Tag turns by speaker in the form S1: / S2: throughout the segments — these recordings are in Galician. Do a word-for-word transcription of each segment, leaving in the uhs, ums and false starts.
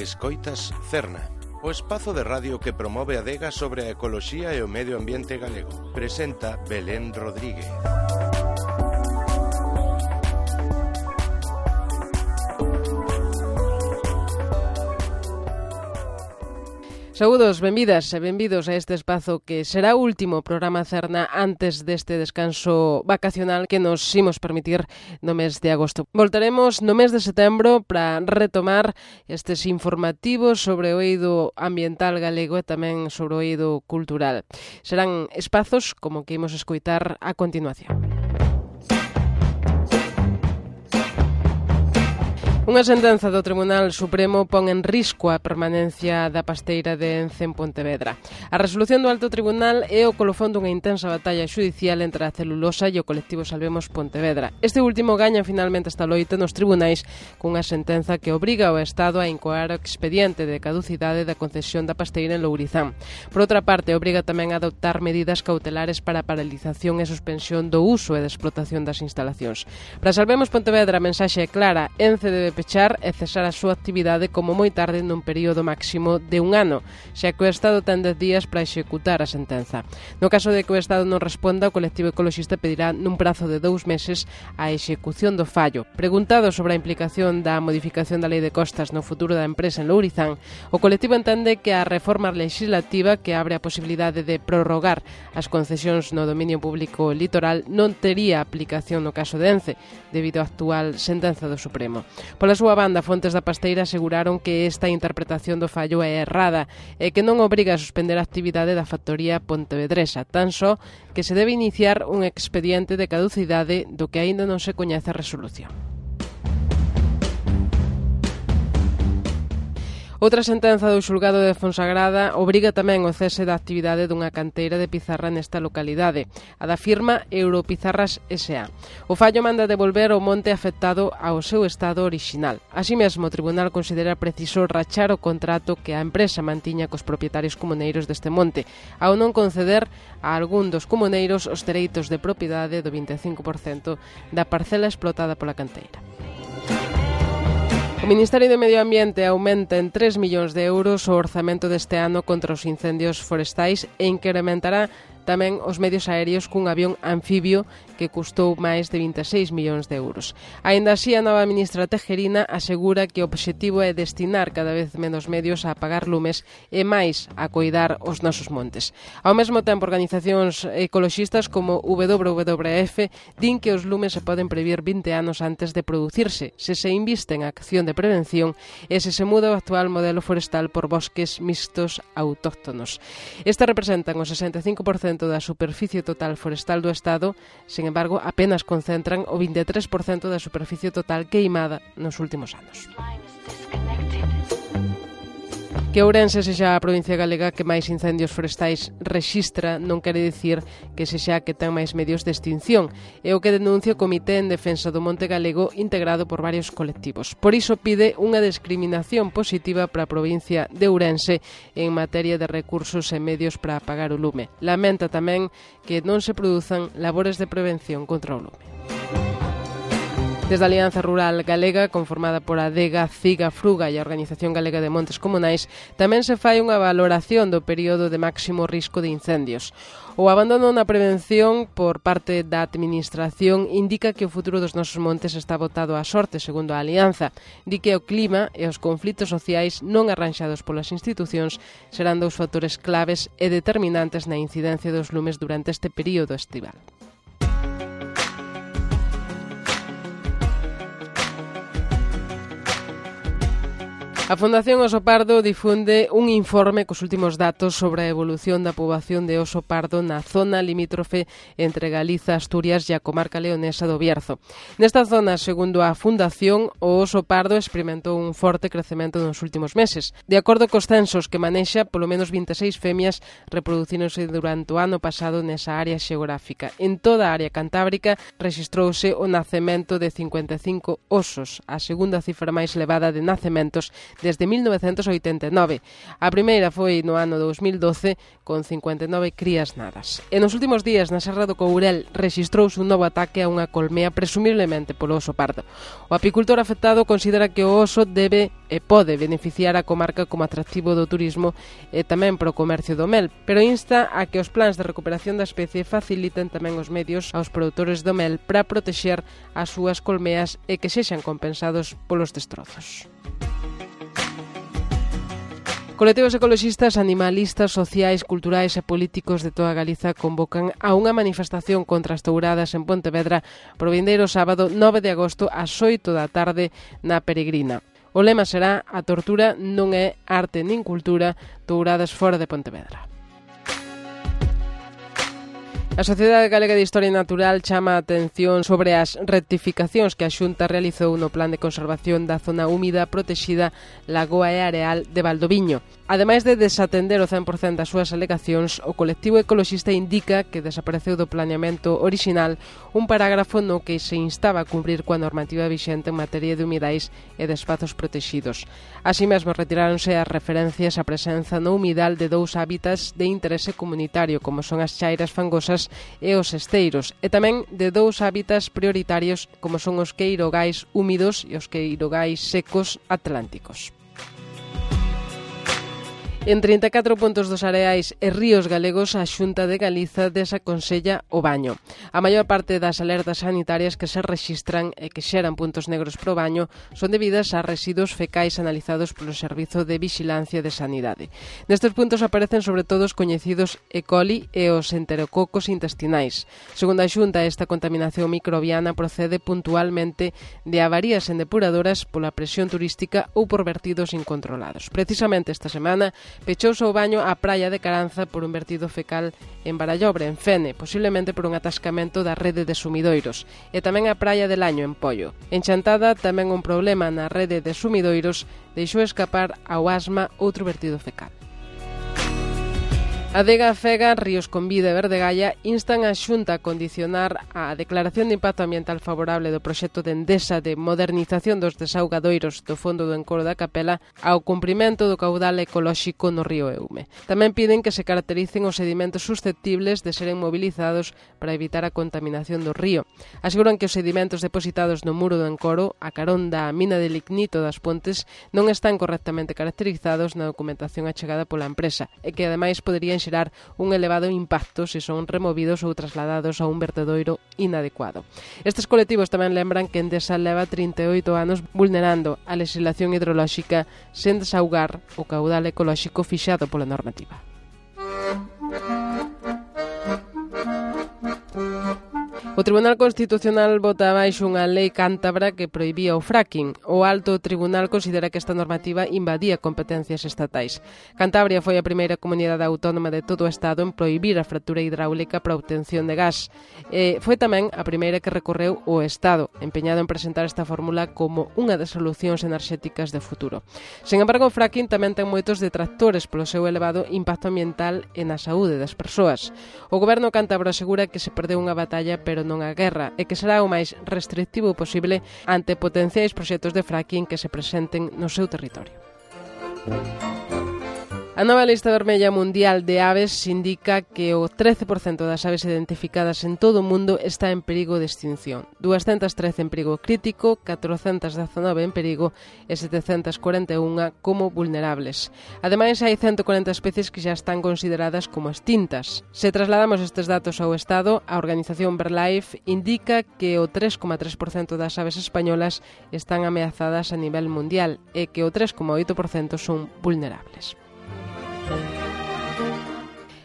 S1: Escoitas Cerna, o espazo de radio que promove a adega sobre a ecoloxía e o medio ambiente galego. Presenta Belén Rodríguez.
S2: Saúdos, benvidas e benvidos a este espazo que será o último programa Cerna antes deste descanso vacacional que nos imos permitir no mes de agosto. Voltaremos no mes de setembro para retomar estes informativos sobre o eido ambiental galego e tamén sobre o eido cultural. Serán espazos como que imos escoitar a continuación. Unha sentenza do Tribunal Supremo pon en risco a permanencia da pasteira de Ence en Pontevedra. A resolución do Alto Tribunal é o colofón dunha intensa batalla xudicial entre a celulosa e o colectivo Salvemos Pontevedra. Este último gaña finalmente esta loita nos tribunais cunha sentenza que obriga ao Estado a incoar o expediente de caducidade da concesión da pasteira en Lourizán. Por outra parte, obriga tamén a adoptar medidas cautelares para a paralización e suspensión do uso e da explotación das instalacións. Para Salvemos Pontevedra, a mensaxe é clara: Ence debe pechar e cesar a súa actividade como moi tarde nun período máximo de un ano, xa que o Estado ten dez días para executar a sentenza. No caso de que o Estado non responda, o colectivo ecologista pedirá nun prazo de dous meses a execución do fallo. Preguntado sobre a implicación da modificación da Lei de Costas no futuro da empresa en Lourizán, o colectivo entende que a reforma legislativa que abre a posibilidade de prorrogar as concesións no dominio público litoral non tería aplicación no caso de Ence, debido á actual sentenza do Supremo. Pola súa banda, fontes da pasteira aseguraron que esta interpretación do fallo é errada e que non obriga a suspender a actividade da factoría pontevedresa, tan só que se debe iniciar un expediente de caducidade do que aínda non se coñece a resolución. Outra sentenza do xulgado de Fonsagrada obriga tamén o cese da actividade dunha canteira de pizarra nesta localidade, a da firma Europizarras S A. O fallo manda devolver o monte afectado ao seu estado orixinal. Así mesmo, o tribunal considera preciso rachar o contrato que a empresa mantiña cos propietarios comuneiros deste monte, ao non conceder a algún dos comuneiros os dereitos de propiedade do vinte e cinco por cento da parcela explotada pola canteira. O Ministerio de Medio Ambiente aumenta en tres millóns de euros o orzamento deste ano contra os incendios forestais e incrementará tamén os medios aéreos cun avión anfibio que custou máis de vinte e seis millóns de euros. Aínda así, a nova ministra Tejerina asegura que o obxectivo é destinar cada vez menos medios a apagar lumes e máis a coidar os nosos montes. Ao mesmo tempo, organizacións ecoloxistas como W W F din que os lumes se poden previr vinte anos antes de producirse, se se inviste en acción de prevención e se se muda o actual modelo forestal por bosques mixtos autóctonos. Estes representan o sesenta e cinco por cento da superficie total forestal do Estado, sen embargo, apenas concentran o vinte e tres por cento da superficie total queimada nos últimos anos. Que Ourense sexa a provincia galega que máis incendios forestais rexistra non quere dicir que sexa que ten máis medios de extinción. É o que denuncia o Comité en Defensa do Monte Galego, integrado por varios colectivos. Por iso pide unha discriminación positiva para a provincia de Ourense en materia de recursos e medios para apagar o lume. Lamenta tamén que non se produzan labores de prevención contra o lume. Desde a Alianza Rural Galega, conformada por a Adega, Ciga, Fruga e a Organización Galega de Montes Comunais, tamén se fai unha valoración do período de máximo risco de incendios. O abandono na prevención por parte da Administración indica que o futuro dos nosos montes está botado á sorte, segundo a Alianza. Di que o clima e os conflitos sociais non arranxados polas institucións serán dous factores claves e determinantes na incidencia dos lumes durante este período estival. A Fundación Oso Pardo difunde un informe cos últimos datos sobre a evolución da poboación de oso pardo na zona limítrofe entre Galiza, Asturias e a comarca leonesa do Bierzo. Nesta zona, segundo a Fundación, o oso pardo experimentou un forte crecemento nos últimos meses. De acordo cos censos que manexa, polo menos vinte e seis femias reproducíronse durante o ano pasado nesa área xeográfica. En toda a área cantábrica rexistrouse o nacemento de cincuenta e cinco osos, a segunda cifra máis elevada de nacementos desde mil novecentos oitenta e nove. A primeira foi no ano dous mil doce, con cincuenta e nove crías nadas. E nos últimos días, na Serra do Courel, rexistrouse un novo ataque a unha colmea presumiblemente polo oso pardo. O apicultor afectado considera que o oso debe e pode beneficiar a comarca como atractivo do turismo e tamén pro comercio do mel, pero insta a que os plans de recuperación da especie faciliten tamén os medios aos produtores do mel para protexer as súas colmeas e que sexan compensados polos destrozos. Colectivos ecoloxistas, animalistas, sociais, culturais e políticos de toda Galiza convocan a unha manifestación contra as touradas en Pontevedra pro vindeiro sábado nove de agosto ás oito da tarde na Peregrina. O lema será "A tortura non é arte nin cultura, touradas fora de Pontevedra". A Sociedade Galega de Historia Natural chama a atención sobre as rectificacións que a Xunta realizou no Plan de Conservación da Zona Húmida Protexida Lagoa e Areal de Valdoviño. Ademais de desatender o cen por cento das súas alegacións, o colectivo ecoloxista indica que desapareceu do planeamento orixinal un parágrafo no que se instaba a cumprir coa normativa vixente en materia de humidais e de espazos protexidos. Así mesmo retiráronse as referencias á presenza no humidal de dous hábitats de interese comunitario, como son as chairas fangosas e os esteiros, e tamén de dous hábitats prioritarios como son os queirogais húmidos e os queirogais secos atlánticos. En trinta e catro puntos dos areais e ríos galegos, a Xunta de Galiza desaconsella o baño. A maior parte das alertas sanitarias que se rexistran e que xeran puntos negros pro baño son debidas a residuos fecais analizados polo Servizo de Vixilancia de Sanidade. Nestes puntos aparecen sobre todo os coñecidos E. coli e os enterococos intestinais. Segundo a Xunta, esta contaminación microbiana procede puntualmente de avarías en depuradoras pola presión turística ou por vertidos incontrolados. Precisamente esta semana pechouse o baño á praia de Caranza por un vertido fecal en Barallobre, en Fene, posiblemente por un atascamento da rede de sumidoiros, e tamén a praia de Laño, en Pollo. En Chantada, tamén un problema na rede de sumidoiros deixou escapar ao Asma outro vertido fecal. Adega, Fega, Ríos Convida e Verdegaia instan a Xunta a condicionar a declaración de impacto ambiental favorable do proxecto de Endesa de modernización dos desaugadoiros do fondo do encoro da Capela ao cumprimento do caudal ecolóxico no río Eume. Tamén piden que se caractericen os sedimentos susceptibles de seren movilizados para evitar a contaminación do río. Aseguran que os sedimentos depositados no muro do encoro, a carón da mina de lignito das Pontes, non están correctamente caracterizados na documentación achegada pola empresa e que ademais poderían xerar un elevado impacto se son removidos ou trasladados a un vertedoiro inadecuado. Estes colectivos tamén lembran que Endesa leva trinta e oito anos vulnerando a legislación hidrolóxica sen desaugar o caudal ecolóxico fixado pola normativa. O Tribunal Constitucional bota abaixo unha lei cántabra que prohibía o fracking. O Alto Tribunal considera que esta normativa invadía competencias estatais. Cantabria foi a primeira comunidade autónoma de todo o Estado en prohibir a fractura hidráulica para a obtención de gas. E foi tamén a primeira que recorreu o Estado, empeñado en presentar esta fórmula como unha das solucións enerxéticas de futuro. Sen embargo, o fracking tamén ten moitos detractores polo seu elevado impacto ambiental e na saúde das persoas. O goberno cántabro asegura que se perdeu unha batalla, pero non a guerra, e que será o máis restrictivo posible ante potenciais proxectos de fracking que se presenten no seu territorio. A nova lista vermella mundial de aves indica que o trece por cento das aves identificadas en todo o mundo está en perigo de extinción. doscientas trece en perigo crítico, catrocentas dezanove en perigo e setecentas cuarenta e unha como vulnerables. Ademais, hai ciento cuarenta especies que xa están consideradas como extintas. Se trasladamos estes datos ao Estado, a organización BirdLife indica que o tres coma tres por cento das aves españolas están ameazadas a nivel mundial e que o tres coma oito por cento son vulnerables.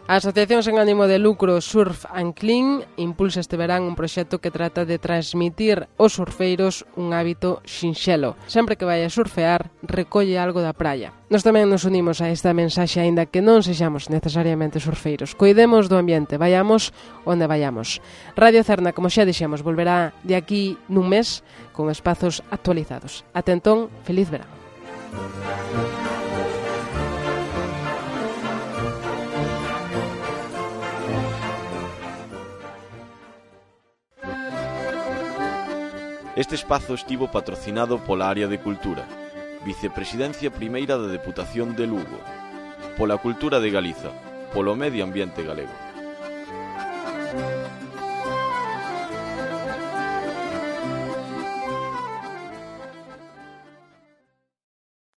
S2: A Asociación sen ánimo de lucro Surf and Clean impulsa este verán un proxecto que trata de transmitir aos surfeiros un hábito sinxelo. Sempre que vai a surfear, recolle algo da praia. Nós tamén nos unimos a esta mensaxe, aínda que non sexamos necesariamente surfeiros. Coidemos do ambiente, vayamos onde vayamos. Radio Cerna, como xa dixemos, volverá de aquí nun mes con espazos actualizados. Ate entón, feliz verán.
S3: Este espazo estivo patrocinado pola Área de Cultura, Vicepresidencia primeira da Deputación de Lugo. Pola cultura de Galiza, polo medio ambiente galego.